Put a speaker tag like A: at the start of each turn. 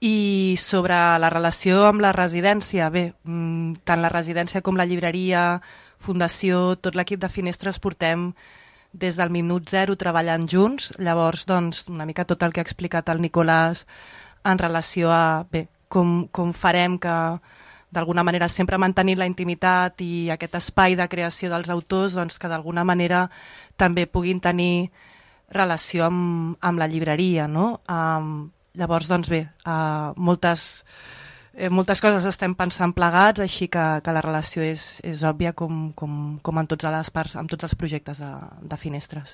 A: I sobre la relació amb la residència, bé, tant la residència com la llibreria, fundació, tot l'equip de Finestres portem des del minut zero treballant junts. Llavors, doncs, una mica tot el que ha explicat el Nicolàs en relació a bé, com farem que d'alguna manera sempre mantenint la intimitat i aquest espai de creació dels autors, doncs, que d'alguna manera també puguin tenir relació amb la llibreria, no? Llavors, doncs bé, moltes coses estem pensant plegats, així que la relació és òbvia com en totes les parts, amb tots els projectes de Finestres.